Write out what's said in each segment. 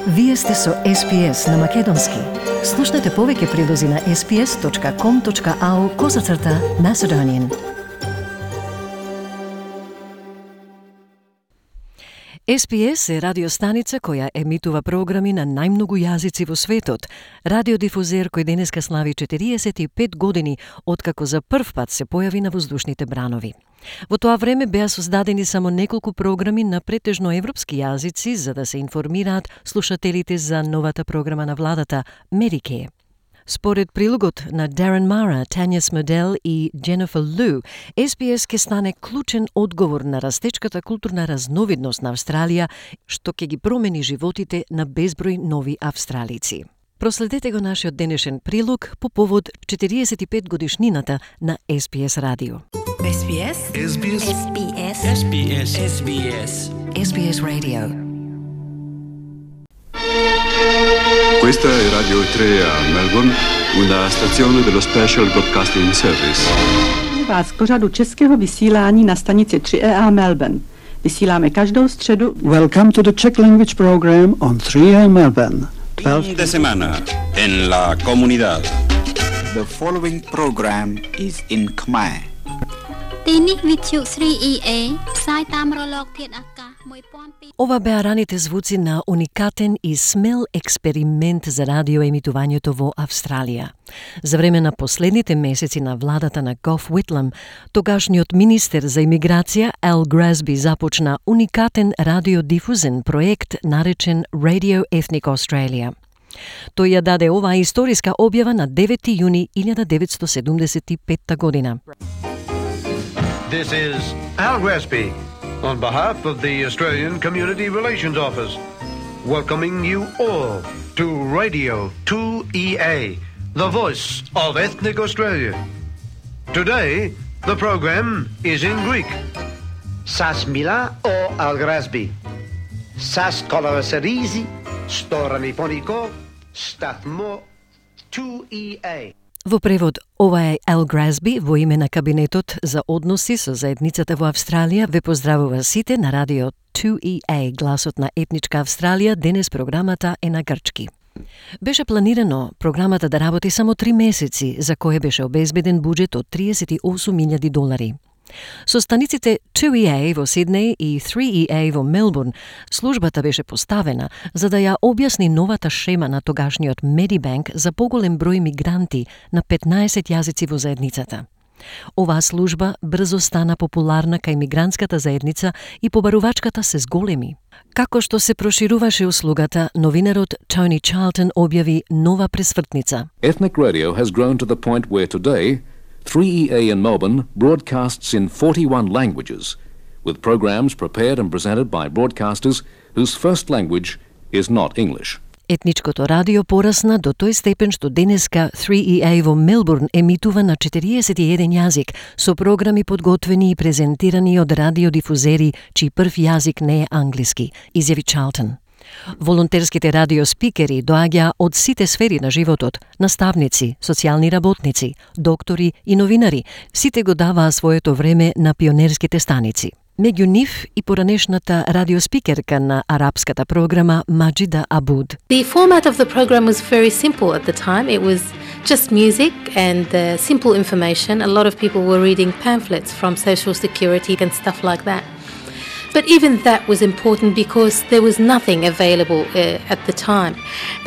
Вие сте со SPS на Македонски. Слушнете повеќе прилози на sps.com.au/Macedonian. SPS е радиостаница која емитува програми на најмногу јазици во светот. Радиодифузер кој денеска слави 45 години откако за прв пат се појави на воздушните бранови. Во тоа време беа создадени само неколку програми на претежно европски јазици за да се информираат слушателите за новата програма на владата Medicare. Според прилогот на Darren Mara, Тања Смодел и Дженефер Лу, SPS ке стане клучен одговор на растечката културна разновидност на Австралија, што ќе ги промени животите на безброј нови австралици. Проследете го нашиот денешен прилог по повод 45 годишнината на SPS радио. SBS SBS SBS SBS SBS SPS Radio. Questa è Radio 3 a Melbourne, una stazione dello Special Broadcasting Service. Vás k pořadu českého vysílání na stanici 3A Melbourne. Vysíláme každou středu. Welcome to the Czech language program on 3A Melbourne. Fin de semana en la comunidad. The following program is in Khmer. ទីនេះវិទ្យុ 3EA ផ្សាយតាមរលកធាតុអាកាស 1200. Ова беа раните звуци на уникатен и смел експеримент за радиоемитувањето во Австралија. За време на последните месеци на владата на Gough Whitlam, тогашниот министер за имиграција Al Grazby започна уникатен радиодифузен проект наречен Radio Ethnic Australia. Тој ја даде оваа историска објава на 9 јуни 1975 година. This is Al Grazby, on behalf of the Australian Community Relations Office, welcoming you all to Radio 2EA, the voice of ethnic Australia. Today, the program is in Greek. Sas mila o Al Grazby. Sas kolaserisi, storaniponico, stathmo 2EA. Во превод, ова е Al Grazby во име на Кабинетот за односи со заедницата во Австралија ве поздравува сите на радио 2EA, гласот на етничка Австралија. Денес програмата е на грчки. Беше планирано програмата да работи само 3 месеци, за кое беше обезбеден буџет од $38,000. Со станиците 2EA во Сиднеј и 3EA во Мелбурн, службата беше поставена за да ја објасни новата шема на тогашниот Medibank за поголем број мигранти на 15 јазици во заедницата. Оваа служба брзо стана популарна кај мигрантската заедница и побарувачката се зголеми. Како што се прошируваше услугата, новинарот Тони Чарлтон објави нова пресвртница. Ethnic radio has grown to the point where today 3EA in Melbourne broadcasts in 41 languages, with programs prepared and presented by broadcasters whose first language is not English. Етничкото радио порасна до тој степен што денеска 3EA во Мелбурн емитува на 41 јазик, со програми подготвени и презентирани од радиодифузери чиј прв јазик не е англиски, изјави Чарлтон. Волонтерските радиоспикери доаѓа од сите сфери на животот, наставници, социјални работници, доктори и новинари. Сите го даваа своето време на пионерските станици. Меѓу нив и поранешната радиоспикерка на арапската програма Маджида Абуд. The format of the program was very simple at the time. It was just music and simple information. A lot of people were reading pamphlets from Social Security and stuff like that. But even that was important because there was nothing available at the time.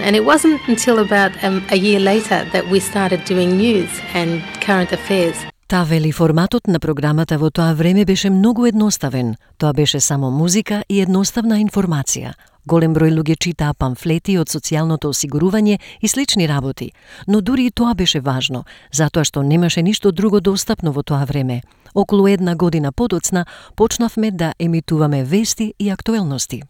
And it wasn't until about a year later that we started doing news and current affairs. Та вели форматот на програмата во тоа време беше многу едноставен. Тоа беше само музика и едноставна информација. Голем број луѓе читаа памфлети од социјалното осигурување и слични работи, но дури и тоа беше важно, затоа што немаше ништо друго достапно во тоа време. Околу 1 година подоцна почнавме да емитуваме вести и актуелности.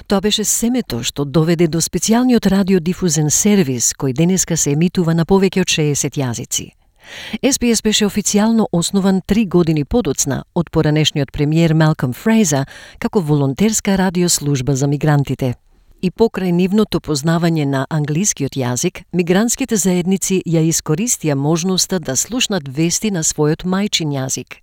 Тоа беше семето што доведе до специјалниот радиодифузен сервис кој денеска се емитува на повеќе од 60 јазици. SPS беше официјално основан 3 години подоцна од поранешниот премиер Малком Фрейзер како волонтерска радиослужба за мигрантите. И покрај нивното познавање на англискиот јазик, мигрантските заедници ја искористија можноста да слушнат вести на својот мајчин јазик.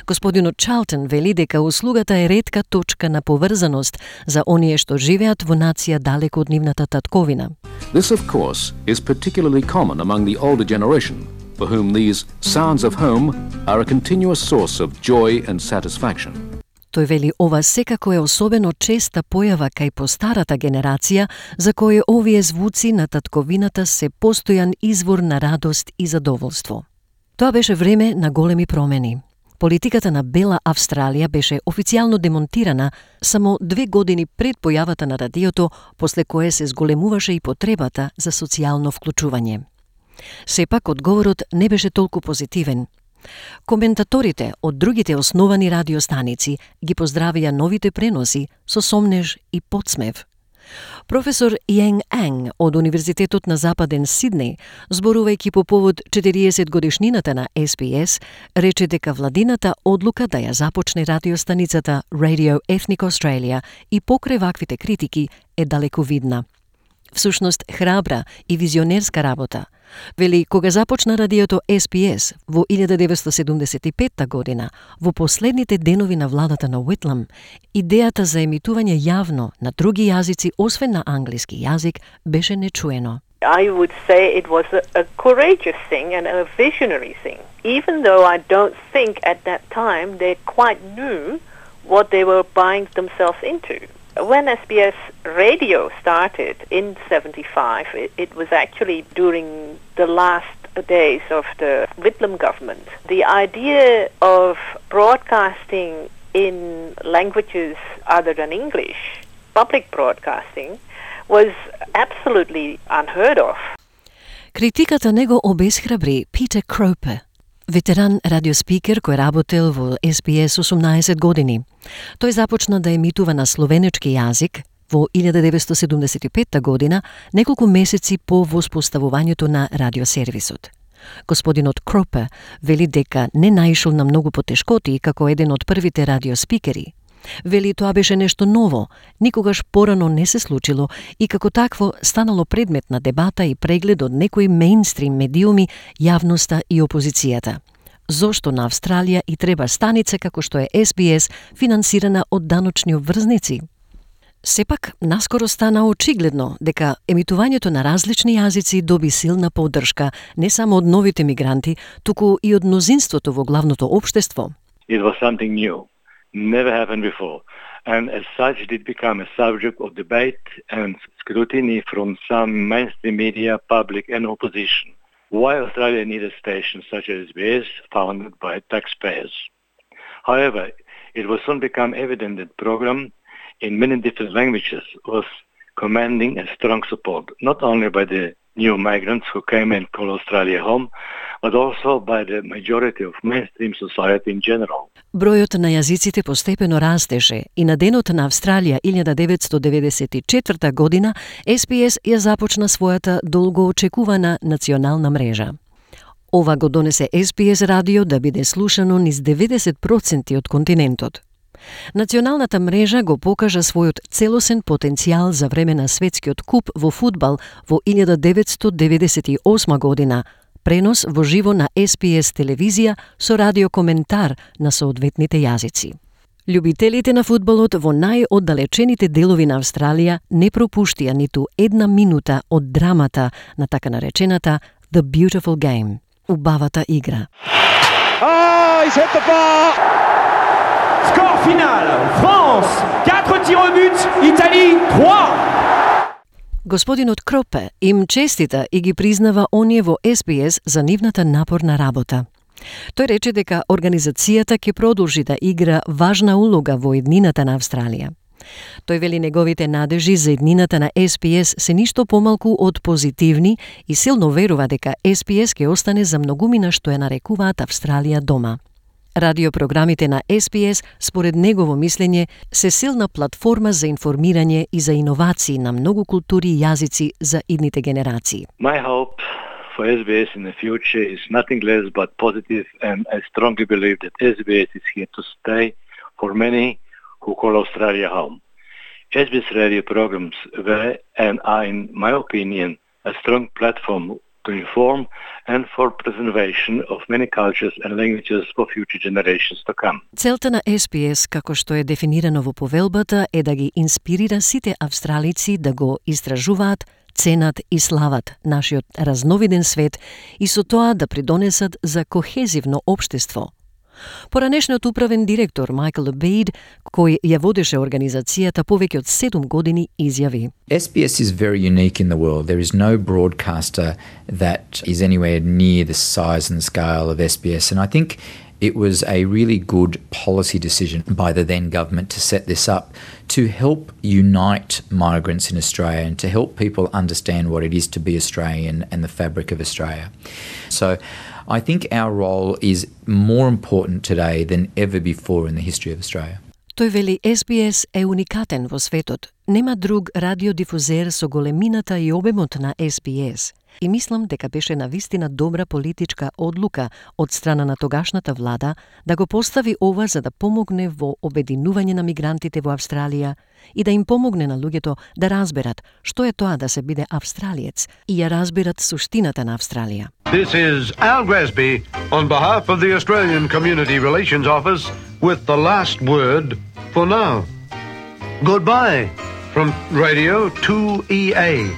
Господинот Чалтон вели дека услугата е ретка точка на поврзаност за оние што живеат во нација далеко од нивната татковина. This, of course, is particularly common among the older generation, for whom these sounds of home are a continuous source of joy and satisfaction. Тој вели ова секако е особено честа појава кај постарата генерација, за кој овие звуци на татковината се постојан извор на радост и задоволство. Тоа беше време на големи промени. Политиката на Бела Австралија беше официјално демонтирана само 2 години пред појавата на радиото, после кое се зголемуваше и потребата за социјално вклучување. Сепак, одговорот не беше толку позитивен. Коментаторите од другите основани радиостаници ги поздравија новите преноси со сомнеж и подсмев. Професор Иен Анг од Универзитетот на Западен Сиднеј, зборувајќи по повод 40 годишнината на SBS, рече дека владината одлука да ја започне радиостаницата Radio Ethnic Australia и покрај ваквите критики е далековидна. Всушност храбра и визионерска работа. Вели, кога започна радиото SBS во 1975 година, во последните денови на владата на Уитлам, идејата за емитување јавно на други јазици освен на англиски јазик беше нечуено. I would say it was a courageous thing and a visionary thing, even though I don't think at that time they quite knew what they were buying themselves into. When SBS radio started in 75, it was actually during the last days of the Whitlam government. The idea of broadcasting in languages other than English, public broadcasting, was absolutely unheard of. Критиката него обесхрабри Питер Кропе, ветеран радиоспикер кој работел во SBS 18 години. Тој започна да емитува на словенечки јазик во 1975 година, неколку месеци по воспоставувањето на радиосервисот. Господинот Кропе вели дека не наишол на многу потешкоти како еден од првите радиоспикери. Вели тоа беше нешто ново, никогаш порано не се случило и како такво станало предмет на дебата и преглед од некои мејнстрим медиуми, јавноста и опозицијата. Зошто на Австралија и треба станица како што е SBS, финансирана од даночни обврзници? Сепак, наскоро стана очигледно дека емитувањето на различни јазици доби силна поддршка не само од новите мигранти, туку и од мнозинството во главното општество. It was something new. Never happened before, and as such did become a subject of debate and scrutiny from some mainstream media, public and opposition. Why Australia needed stations such as SBS founded by taxpayers. However, it will soon become evident that program in many different languages was commanding a strong support, not only by the new migrants who came and called Australia home, but also by the majority of mainstream society in general. Бројот на јазиците постепено растеше и на денот на Австралија 1994 година SBS ја започна својата долго очекувана национална мрежа. Ова го донесе SBS радио да биде слушано низ 90% од континентот. Националната мрежа го покажа својот целосен потенцијал за време на светскиот куп во фудбал во 1998 година, пренос во живо на SBS телевизија со радиокоментар на соодветните јазици. Љубителите на фудбалот во најоддалечените делови на Австралија не пропуштија ниту една минута од драмата на така наречената The Beautiful Game, убавата игра. He's hit the bar! Score final, France, 4 tirs au but, Italie 3. Господинот Кропе им честита и ги признава оние во SBS за нивната напорна работа. Тој рече дека организацијата ќе продолжи да игра важна улога во еднината на Австралија. Тој вели неговите надежи за еднината на SBS се ништо помалку од позитивни и силно верува дека SBS ќе остане за многумина што ја нарекуваат Австралија дома. Радиопрограмите на SBS, според негово мислење, се силна платформа за информирање и за иновации на многу култури и јазици за идните генерации. My hope for SBS in the future is nothing less but positive, and I strongly believe that SBS is here to stay for many who call Australia home. SBS radio programs were and are, in my opinion, a strong platform to inform and for preservation of many cultures and languages for future generations to come. Целта на SPS, како што е дефинирано во повелбата, е да ги инспирира сите австралици да го истражуваат, ценат и слават нашиот разновиден свет и со тоа да придонесат за кохезивно општество. Поранешниот управен директор Майкл Abid, кој ја водеше организацијата повеќе од 7 години, изјави: SBS is very unique in the world. There is no broadcaster that is anywhere near the size and scale of SBS, and I think it was a really good policy decision by the then government to set this up to help unite migrants in Australia and to help people understand what it is to be Australian and the fabric of Australia. So I think our role is more important today than ever before in the history of Australia. Тој вели SBS е уникатен во светот. Нема друг радиодифузер со големината и обемот на SBS. И мислам дека беше навистина добра политичка одлука од страна на тогашната влада да го постави ова за да помогне во обединување на мигрантите во Австралија и да им помогне на луѓето да разберат што е тоа да се биде австралиец и ја разберат суштината на Австралија. This is Al Gresby on behalf of the Australian Community Relations Office with the last word for now. Goodbye from Radio 2EA,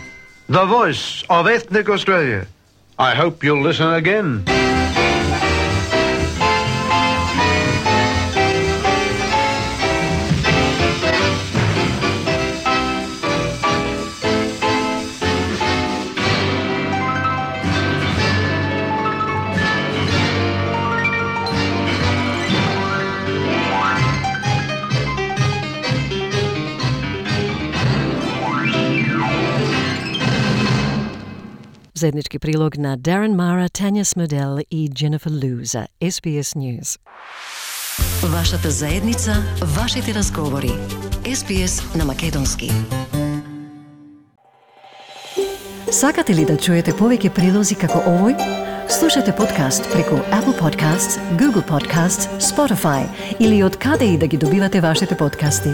the voice of ethnic Australia. I hope you'll listen again. Заеднички прилог на Darren Mara, Tanya Smedel и Jennifer Liu за SBS News. Вашата заедница, вашите разговори. SBS на македонски. Сакате ли да чуете повеќе прилози како овој? Слушате подкаст преку Apple Podcasts, Google Podcasts, Spotify или од каде и да ги добивате вашите подкасти.